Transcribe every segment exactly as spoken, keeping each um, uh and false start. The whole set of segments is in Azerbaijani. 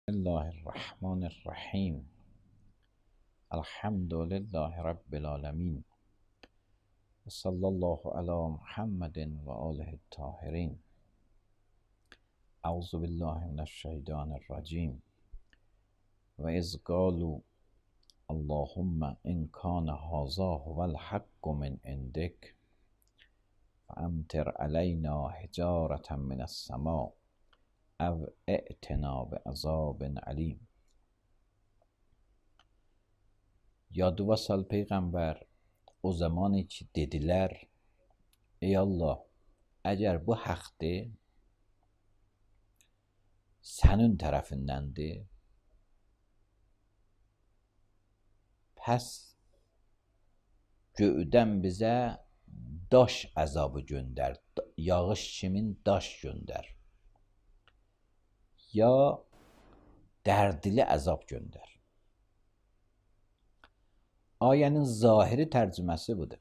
الله الرحمن الرحیم. الحمد لله رب العالمین. صلی الله علی محمد و آله الطاهرین. اعوذ بالله من الشیطان الرجیم. و اذ قالوا اللهم ان کان هذا هو الحق من عندک فامطر علینا حجارة من السماء او ائتنا بعذاب علیم. Yadı sal Peygamber o zaman ki dediler: Ey Allah, eğer bu haktır, senin tarafındandır, pes göğden bize daş azabı gönder, yağış kimin daş gönder, ya dərdli əzab göndər. Ayənin zahiri tərcüməsi budur.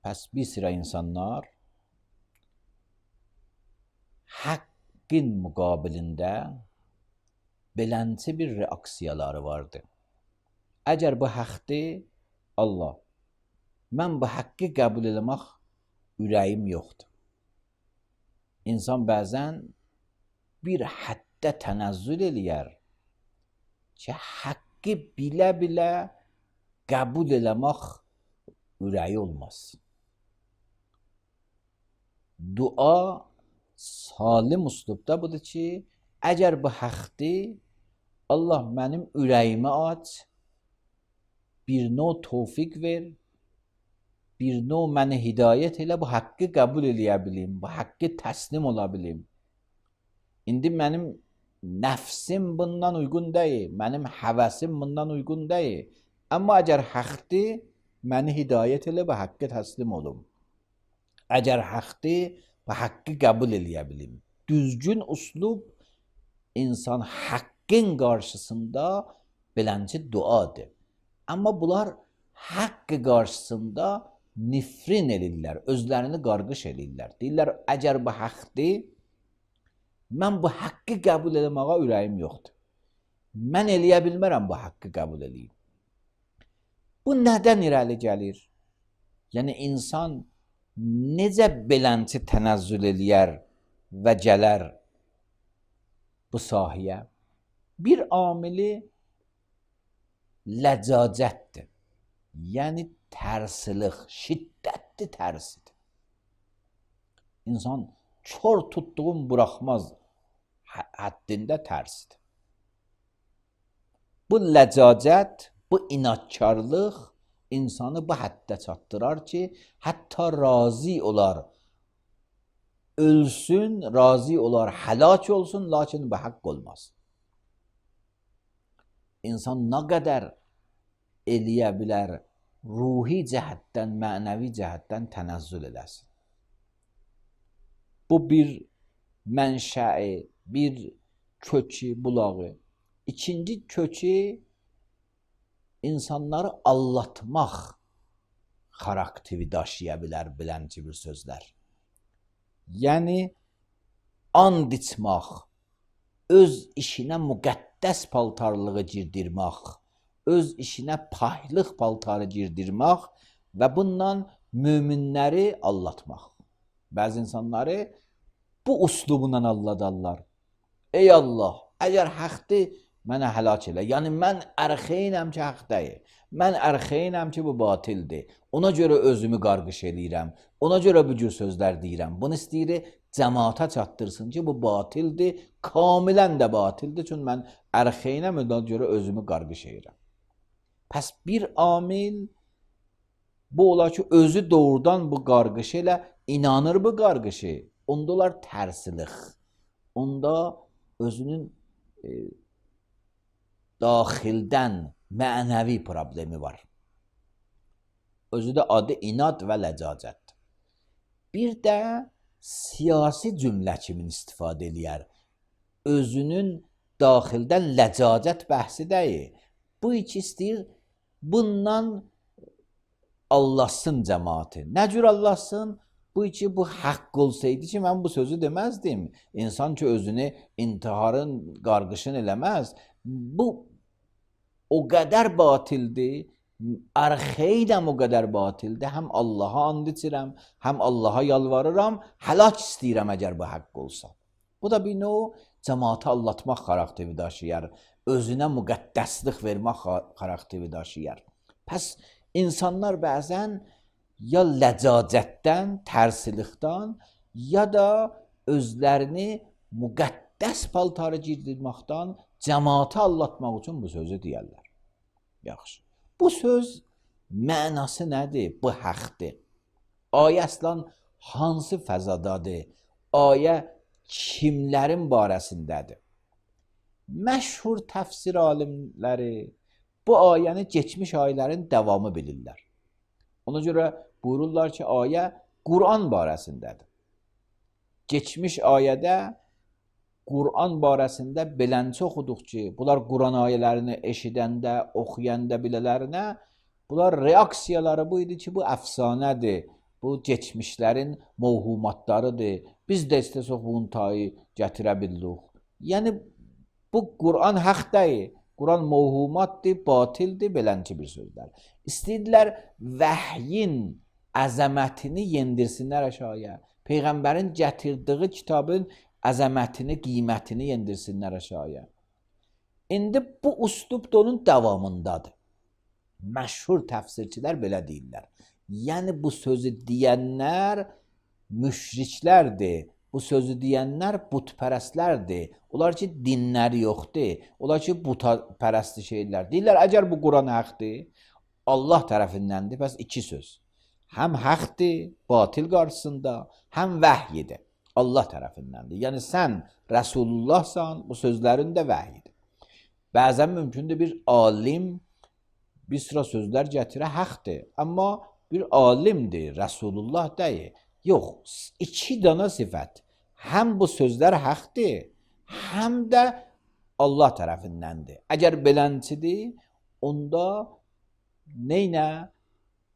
Pəs bir sıra insanlar haqqın müqabilində belənçi bir reaksiyaları vardı. Əgər bu haqqdır, Allah, mən bu haqqı qəbul eləmək ürəyim yoxdur. İnsan bəzən bir həddə tənəzzül eləyər ki, haqqı bilə-bilə qəbul eləmək ürəyi olmaz. Dua salim üslubda budur ki, əgər bu haqqdır, Allah mənim ürəyimi aç, bir növ tövfiq ver, bir növ məni hidayət elə, bu haqqı qəbul eləyə bilim, bu haqqı təslim ola bilim. İndi mənim nəfsim bundan uyğun deyil, mənim həvəsim bundan uyğun deyil. Amma əgər haqqdır, məni hidayət elə, bu haqqı təslim olum. Əgər haqqdır, bu haqqı qəbul eləyə bilim. Düzgün üslub insan haqqın qarşısında belənci duadır. Amma bunlar haqqı qarşısında nifrin elirlər, özlərini qarqış elirlər. Deyirlər, əgər bu haqqdır, mən bu haqqı qəbul eləməyə ürəyim yoxdur. Mən eləyə bilmərəm bu haqqı qəbul eləyim. Bu nədən irəli gəlir? Yəni, insan necə belənçi tənəzzül eləyər və gələr bu sahəyə? Bir amili ləcacətdir. Yəni, tərsilik, şiddətli tərsidir. İnsan kör tutduğum buraxmaz həddində tərsidir. Bu ləcacət, bu inatkarlıq insanı bu həddə çatdırar ki, hətta razı olar, ölsün, razı olar, həlak olsun, lakin bu haqq olmaz. İnsan nə qədər eləyə bilər, ruhi cəhətdən, mənəvi cəhətdən tənəzzül eləsin. Bu bir mənşəi, bir kökü, bulağı. İkinci kökü insanları allatmaq xarakteri daşıya bilər bilənci bir sözlər. Yəni, and içmək, öz işinə müqəddəs paltarlığı girdirmək, öz işinə pahlıq paltarı girdirmək və bundan möminləri allatmaq. Bəzi insanları bu üslubundan alladarlar. Ey Allah, əgər haqqdır, mənə həlak elə. Yəni, mən ərxeynəm ki, haqdayım. Mən ərxeynəm ki, bu batildir. Ona görə özümü qarqış eləyirəm. Ona görə bu cür sözlər deyirəm. Bunu istəyir, cəmaata çatdırsın ki, bu batildir. Kamilən də batildir. Çünki mən ərxeynəm, ona görə özümü qarqış eləyirəm. Pəs bir amil bu olar ki, özü doğrudan bu qarqışı ilə inanır bu qarqışı. Onda olar tərsilik. Onda özünün e, daxildən mənəvi problemi var. Özü də adı inat və ləcacət. Bir də siyasi cümlə kimi istifadə eləyər. Özünün daxildən ləcacət bəhsi deyil. Bu iki istəyir, bundan Allahsın cəmaati. Nə cür Allahsın? Bu ki bu haqq olsaydı ki mən bu sözü deməzdim. İnsan ki özünü intiharın, qarğışın eləməz. Bu o qədər batildir. Arxeydəm o qədər batildir. Həm Allaha and içirəm, həm Allaha yalvarıram, həlak istəyirəm əgər bu haqq olsa. Bu da bir növ cəmaatı allatmaq xarakteri daşıyar. Özünə müqəddəslik vermək xarakteri daşıyar. Pəs insanlar bəzən ya ləcacətdən, tərsilikdən, ya da özlərini müqəddəs paltarı giydirməkdən cəmaatı allatmaq üçün bu sözü deyərlər. Yaxşı. Bu söz mənası nədir? Bu haqdır. Ayə əslən hansı fəzadadır? Ayə kimlərin barəsindədir? Məşhur təfsir alimləri bu ayəni keçmiş ayələrin davamı bilirlər. Ona görə buyururlar ki, ayə Quran barəsindədir. Keçmiş ayədə Quran barəsində belənçə oxuduq ki, bunlar Quran ayələrini eşidəndə, oxuyanda bilələrinə, bunlar reaksiyaları bu idi ki, bu əfsanədir, bu keçmişlərin mövhumatlarıdır. Biz də istəsək bunun tayı gətirə bildik. Yəni, bu Quran haqq deyil. Quran mövhumatdır, batildir, belənçi bir sözlər. İstəyirlər vəhyin əzəmətini yendirsinlər aşağıya. Peyğəmbərin gətirdiyi kitabın əzəmətini, qiymətini yendirsinlər aşağıya. İndi bu üslub da onun davamındadır. Məşhur təfsirçilər belə deyirlər. Yəni bu sözü deyənlər müşriklərdir. Bu sözü deyənlər butpərəstlərdir. Onlar ki, dinləri yoxdur. Onlar ki, butpərəstli şeylər. Deyirlər, əgər bu Quran haqdır, Allah tərəfindəndir. Bəs iki söz. Həm haqdır, batil qarşısında, həm vəhyidir. Allah tərəfindəndir. Yəni, sən Rəsulullahsan, bu sözlərin də vəhyidir. Bəzən mümkündür bir alim bir sıra sözlər gətirə haqdır. Amma bir alimdir, Rəsulullah deyil. Yox, iki dana sifət. Həm bu sözlər haqdır, həm də Allah tərəfindəndir. Əgər belənçidir, onda neynə?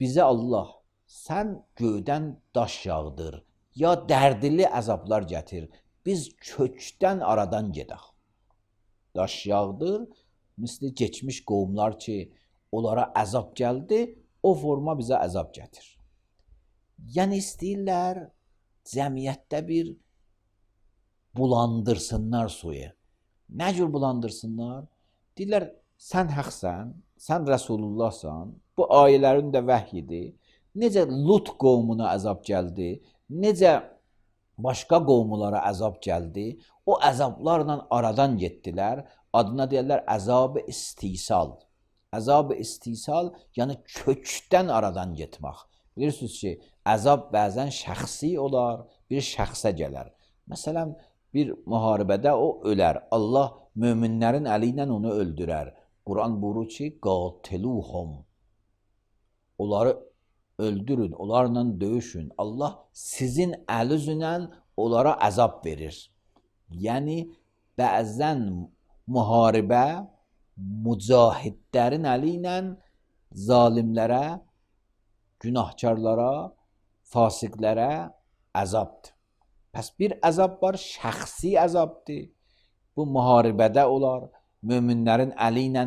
Bizə Allah, sən göydən daş yağdır, ya dərdili əzablar gətir, biz kökdən aradan gedək. Daş yağdır, misli keçmiş qovumlar ki, onlara əzab gəldi, o forma bizə əzab gətir. Yəni istəyirlər cəmiyyətdə bir bulandırsınlar suyu. Nə cür bulandırsınlar? Deyirlər, sən haqsan, sən Rəsulullahsan, bu ayələrin də vəhyidir. Necə Lut qovmuna əzab gəldi, necə başqa qovmulara əzab gəldi, o əzablarla aradan getdilər, adına deyirlər əzab-ı istisal. Əzab-ı istisal, yəni kökdən aradan getmək. Bilirsiniz ki, əzab bəzən şəxsi olar, bir şəxsə gələr. Məsələn, bir müharibədə o ölər. Allah möminlərin əli ilə onu öldürər. Quran buyurur ki, qatiluhum. Onları öldürün, onlarla döyüşün. Allah sizin əlinizlə onlara əzab verir. Yəni, bəzən müharibə mücahidlərin əli ilə zalimlərə, günahkarlara, fasiqlərə əzabdır. Pəs bir əzab var, şəxsi əzabdır. Bu müharibədə olar, möminlərin əli ilə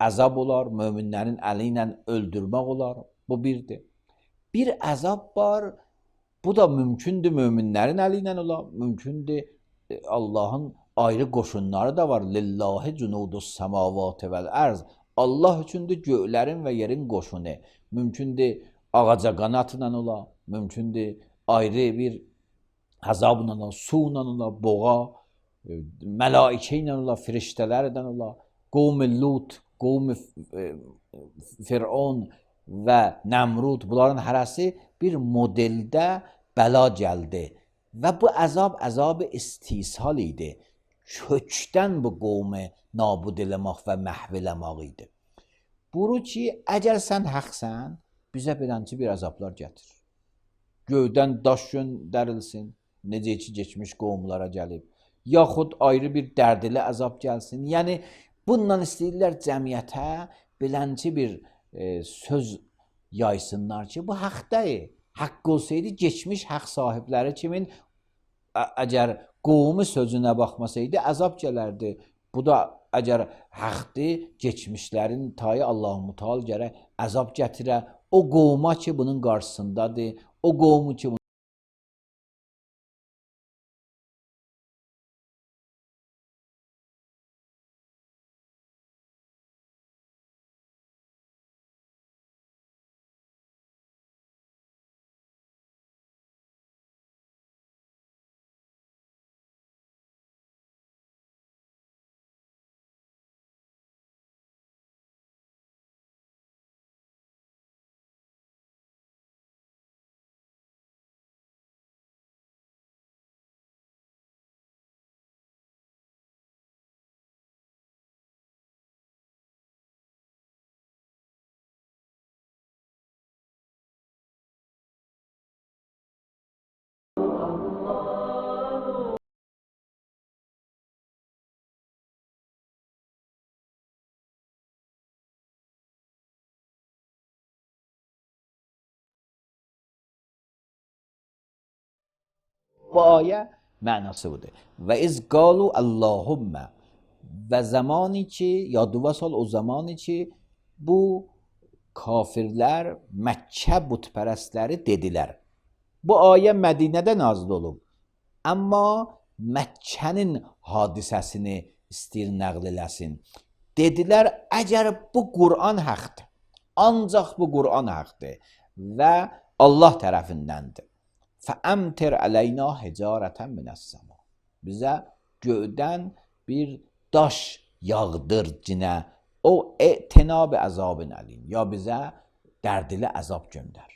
əzab olar, möminlərin əli ilə öldürmək olar. Bu birdir. Bir əzab var, bu da mümkündür möminlərin əli ilə olar, mümkündür Allahın ayrı qoşunları da var. Lillahi cunudus semavati vel arz. Allah üçündür göylərin və yerin qoşunu. Mümkündür ağaca qanatla ola, mümkündür ayrı bir əzabla ola, suyla ola, boğa, mələikə ilə ola, firiştələrlə ola, qovm-i Lut, qovm-i Fir'on və Nəmrud, bunların hərəsi bir modeldə bəla gəldi. Və bu əzab, əzab-ı istisal idi. Kökdən bu qovmu nabud eləmək və məhv eləmək idi. Buyurur ki, əgər sən haqsan, bizə belənçi bir əzablar gətir. Göydən daş göndərilsin, necə ki, geçmiş qovumlara gəlib. Yaxud ayrı bir dərdili əzab gəlsin. Yəni, bununla istəyirlər cəmiyyətə belənçi bir e, söz yaysınlar ki, bu haqdayı. Haqq olsaydı, geçmiş haqq sahibləri kimin əgər qovmu sözünə baxmasaydı, əzab gələrdi. Bu da əgər haqdır, geçmişlərin tayı Allah-u Müteal gərək əzab gətirə. O qovma ki, bunun qarşısındadır, o qovmu ki, bu ayə mənası budur. Və iz qalu Allahümmə, və zamani ki, yadıva sal o zamani ki, bu kafirlər, Məkkə bütpərəstləri dedilər. Bu ayə Mədinədə nazil olub. Amma Məkkənin hadisəsini istəyir nəql eləsin. Dedilər, əgər bu Qur'an haqdır, ancaq bu Qur'an haqdır və Allah tərəfindəndir. Fəəmtir əleyna hicarətən minəs-səma. Bizə göydən bir daş yağdır cinə, o etinab əzabın əlim. Ya bizə dərdili əzab göndər.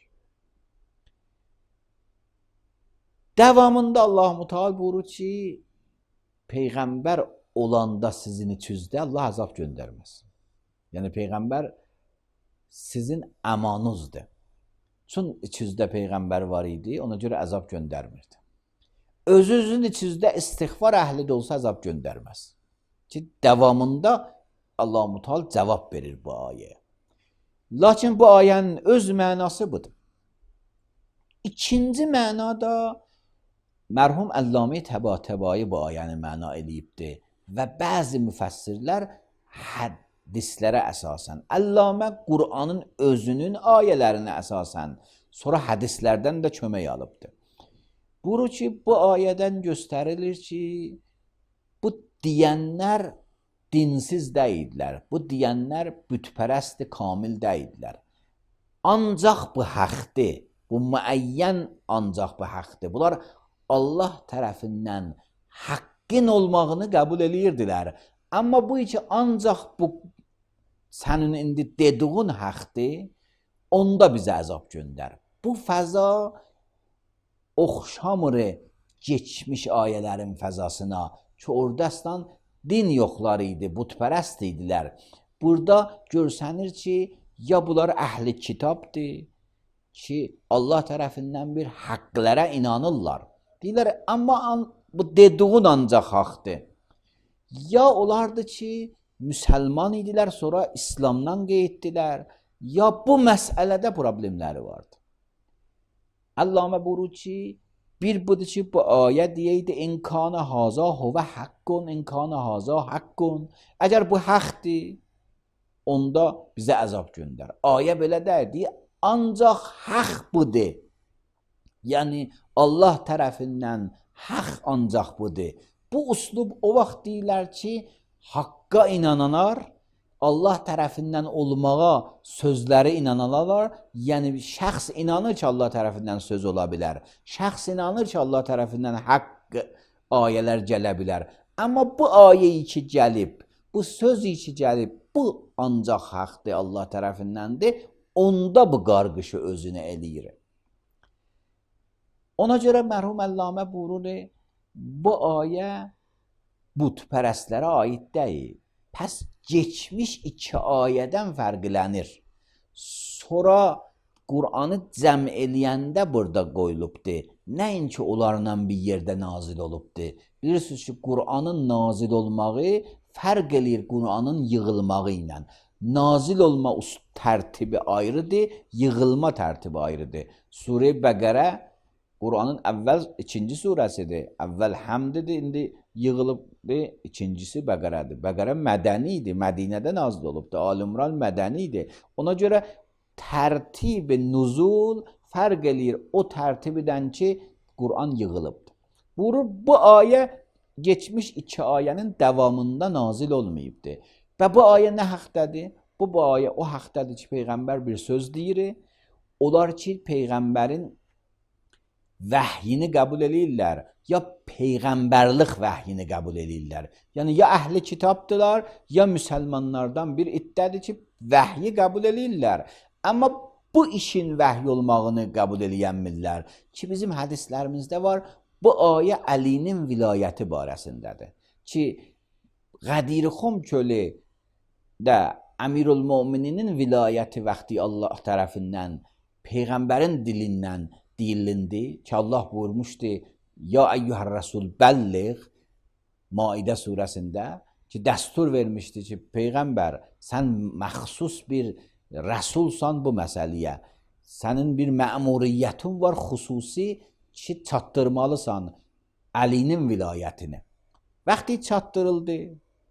Davamında Allah Müteal buyurur ki, Peyğəmbər olanda sizin içinizdə Allah əzab göndərməz. Yəni Peyğəmbər sizin əmanınızdır. Çün içinizdə Peyğəmbər var idi, ona görə əzab göndərmirdi. Özünüzün içinizdə istiğfar əhli də olsa əzab göndərməz. Ki, davamında Allah Müteal cavab verir bu ayəyə. Lakin bu ayənin öz mənası budur. İkinci mənada mərhum Əllamə Təbatəbai bu ayəni məna eləyibdir və bəzi müfəssirlər hədislərə əsasən, Əllamə Qur'anın özünün ayələrinə əsasən, sonra hədislərdən də kömək alıbdır. Buyurur ki, bu ayədən göstərilir ki, bu deyənlər dinsiz deyildilər, bu deyənlər bütpərəst kamil deyildilər. Ancaq bu haqdır, bu müəyyən ancaq bu haqdır. Bunlar Allah tərəfindən haqqın olmağını qəbul edirdilər. Amma bu ki, ancaq bu sənin indi dediğin haqdır, onda bizə əzab göndər. Bu fəza oxşamır geçmiş ayələrin fəzasına ki, oradastan din yoxları idi, bütpərəst idilər. Burada görsənir ki, ya bunlar əhli kitabdır ki, Allah tərəfindən bir haqqlara inanırlar. Deyirlər, amma bu dediğin ancaq haqdır. Ya olardı ki, müsəlman idilər, sonra İslamdan qeyddirlər, ya bu məsələdə problemləri vardı. Əllamə buyurur ki, bir budur ki, bu ayə deyəydi, İnkana haza huvə haqqun, İnkana haza haqqun. Əgər bu haqdır, onda bizə əzab göndər. Ayə belə deyir, ancaq haqq budur. Yəni, Allah tərəfindən haqq ancaq budur. Bu uslub o vaxt deyirlər ki, haqqa inananlar, Allah tərəfindən olmağa sözləri inananlar, yəni şəxs inanır ki, Allah tərəfindən söz ola bilər. Şəxs inanır ki, Allah tərəfindən haqq ayələr gələ bilər. Amma bu ayəyi ki gəlib, bu sözü ki gəlib, bu ancaq haqdır, Allah tərəfindəndir, onda bu qarqışı özünə eləyir. Ona görə mərhum Əllamə buyurur, bu ayə bütpərəstlərə aid deyil. Pəs geçmiş iki ayədən fərqlənir. Sonra Qur'anı cəm eləyəndə burada qoyulubdur. Nəinki onlarla bir yerdə nazil olubdur. Bilirsiniz ki, Qur'anın nazil olmağı fərq eləyir Qur'anın yığılmağı ilə. nazil olma tərtibi ayrıdır, yığılma tərtibi ayrıdır. Surə Bəqərə Qur'anın əvvəl ikinci surəsidir. Əvvəl Həmddir, indi yığılıbdır, ikincisi Bəqərədir. Bəqərə mədəni idi, Mədinədə nazil olubdur. Al-İmran mədəni idi. Ona görə tərtib nuzul fərq eləyir o tərtibidən ki, Qur'an yığılıbdır. Bu, bu ayə geçmiş iki ayənin davamında nazil olmayıbdır. Və bu ayə nə haqdadır? Bu, bu ayə o haqdadır ki, Peyğəmbər bir söz deyir. Onlar ki, Peyğəmbərin vəhyini qəbul eləyirlər, ya Peyğəmbərlik vəhyini qəbul eləyirlər. Yəni, ya əhli kitabdılar, ya müsəlmanlardan bir iddədir ki, vəhyi qəbul eləyirlər. Amma bu işin vəhy olmağını qəbul eləyənmirlər ki, bizim hədislərimizdə var, bu ayə Əlinin vilayəti barəsindədir. Ki, Qədirxum çölü də Əmirül-Mömininin vilayəti vaxtı Allah tərəfindən, Peyğəmbərin dilindən deyilindi ki, Allah buyurmuşdu, ya əyyuhər rəsul bəlliğ, Maidə surəsində ki, dəstur vermişdi ki, Peyğəmbər, sən məxsus bir rəsulsan bu məsələyə, sənin bir məmuriyyətin var xüsusi ki, çatdırmalısan Əlinin vilayətini. Vaxtı çatdırıldı,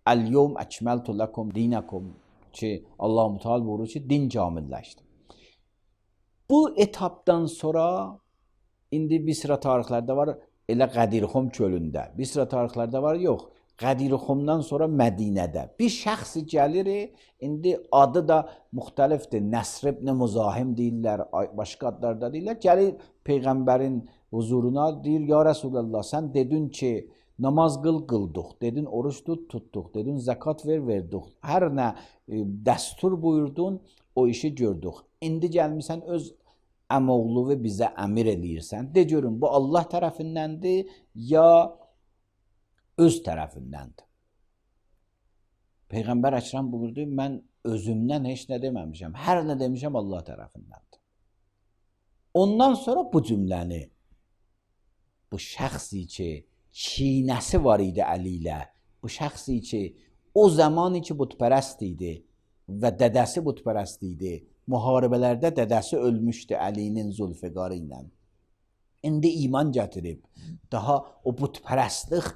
Əl-yevm əkməltu ləkum dinəkum ki, Allah-u Teala buyurur ki, din kamilləşdi. Bu etapdan sonra indi Bisra tarixlərdə var, elə Qədirxum çölündə. Bisra tarixlərdə var, yox. Qədirxumdan sonra Mədinədə. Bir şəxsi gəlir, indi adı da müxtəlifdir. Nəsr ibn Müzahim deyirlər, başqa adlarda deyirlər. Gəlir Peyğəmbərin huzuruna, deyir, ya Rəsulallah, sən dedin ki, namaz qıl, qıldıq. Dedin, oruç tut, tutduq. Dedin, zəkat ver, verdik. Hər nə e, dəstur buyurdun, o işi gördük. İndi gəlmirsən, öz əmoğlu və bizə əmir eləyirsən. De görün, bu Allah tərəfindəndir, ya öz tərəfindəndir. Peyğəmbər Əkrəm buyurdu, mən özümdən heç nə deməmişəm. Hər nə demişəm Allah tərəfindəndir. Ondan sonra bu cümləni, bu şəxsi ki, çiynəsi var idi Əli ilə, bu şəxsi ki, o zamanı ki, butpərəst idi və dədəsi butpərəst idi, müharibələrdə dədəsi ölmüşdü Əlinin Zülfiqarı ilə. İndi iman gətirib, daha o butpərəstlik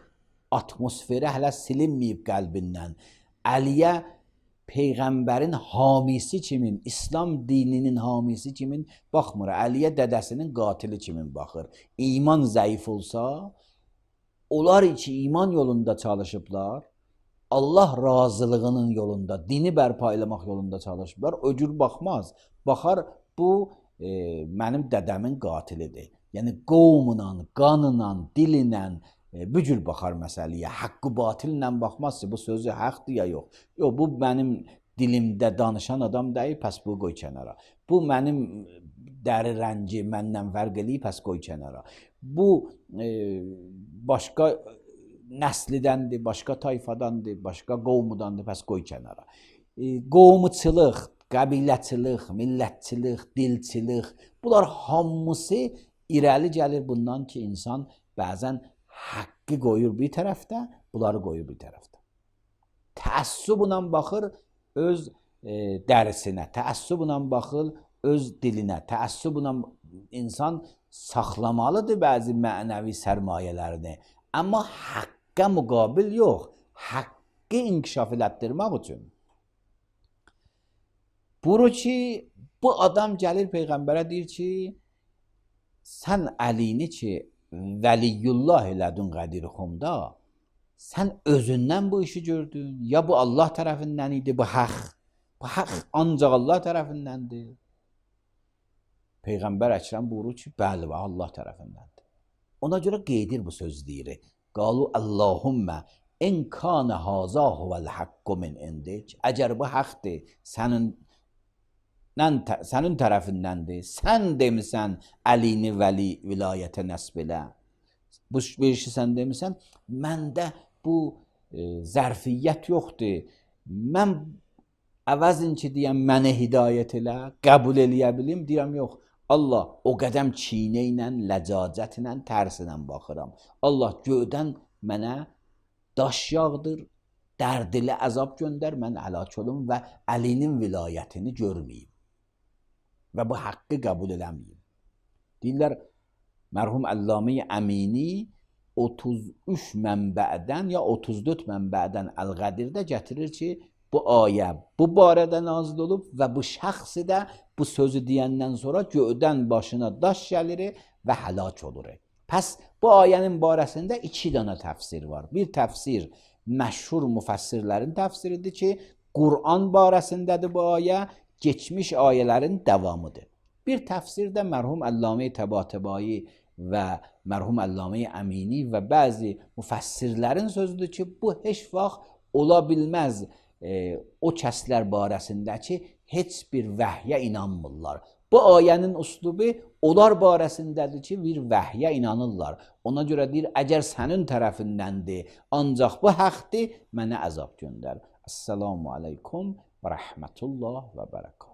atmosferi hələ silinməyib qəlbindən. Əliyə Peyğəmbərin hamisi kimin, İslam dininin hamisi kimin baxmır. Əliyə dədəsinin qatili kimin baxır. İman zəif olsa, onlar ki iman yolunda çalışıblar, Allah razılığının yolunda, dini bərpa eləmək yolunda çalışıblar, o cür baxmaz. Baxar, bu e, mənim dədəmin qatilidir. Yəni qovmla, qanla, dilinlə e, bu cür baxar məsələyə. Haqqı batillə baxmaz ki, bu sözü haqdır ya yox. Yox, bu mənim dilimdə danışan adam deyil, pəs bu qoy kənara. Bu mənim dəri rəngi məndən fərq eləyib, pəs qoy kənara. Bu e, başqa nəslidəndir, başqa tayfadandır, başqa qovmudandır, pəs qoy kənara. E, qovmuçılıq, qəbiləçilik, millətçilik, dilçilik, bunlar hamısı irəli gəlir bundan ki, insan bəzən haqqı qoyur bir tərəfdə, bunları qoyur bir tərəfdə. Təəssüblə baxır öz e, dərisinə, təəssüblə baxır öz dilinə, təəssüblə insan saxlamalıdır bəzi mənəvi sərmayələrini. Amma haqqa müqabil yox, haqqı inkişaf elətdirmək üçün. Buyurur ki, bu adam gəlir Peyğəmbərə deyir ki, sən Əlini ki, Vəliyullah elədin Qədirxumda, sən özündən bu işi gördün, ya bu Allah tərəfindən idi, bu haqq. Bu haqq ancaq Allah tərəfindəndir. Peyğəmbər Əkrəm buyurur ki, bəli, Allah tərəfindəndir. Ona görə qeydir bu söz deyir. Qalu Allahümmə in kana haza huvel haqqu min indik. Əgər bu haqqdır, sənin sənin tərəfindəndir. Sən demisən Əlini vəli vilayətə nəsb elə. Bu işi sən demisən, məndə bu e, zərfiyyət yoxdur. Mən əvəzin ki, deyəm, mənə hidayət elə, qəbul eləyə bilim, deyəm, yox. Allah o qədəm çiynə ilə, ləcacət ilə, tərsinə baxıram. Allah göydən mənə daş yağdır, dərdli əzab göndər, mən həlak olum və Əlinin vilayətini görməyim və bu haqqı qəbul eləməyim. Deyirlər, mərhum Əllamə Əmini otuz üç mənbədən ya otuz dörd mənbədən Əl-Qədirdə gətirir ki, bu ayə bu barədə nazil olub və bu şəxsi də bu sözü deyəndən sonra göydən başına daş gəlir və həlak olur. Pəs bu ayənin barəsində iki dənə təfsir var. Bir təfsir məşhur müfəssirlərin təfsiridir ki, Qur'an barəsindədir bu ayə, geçmiş ayələrin davamıdır. Bir təfsir də mərhum Əllamə Təbatəbai və mərhum Əllamə Əmini və bəzi müfəssirlərin sözüdür ki, bu heç vaxt ola bilməz e, o kəslər barəsində ki, heç bir vəhyə inanmırlar. Bu ayənin üslubu onlar barəsindədir ki, bir vəhyə inanırlar. Ona görə deyir, əgər sənin tərəfindəndir, ancaq bu haqqdır, mənə əzab göndər. Esselamu aleykum və rəhmətullah və bərəkət.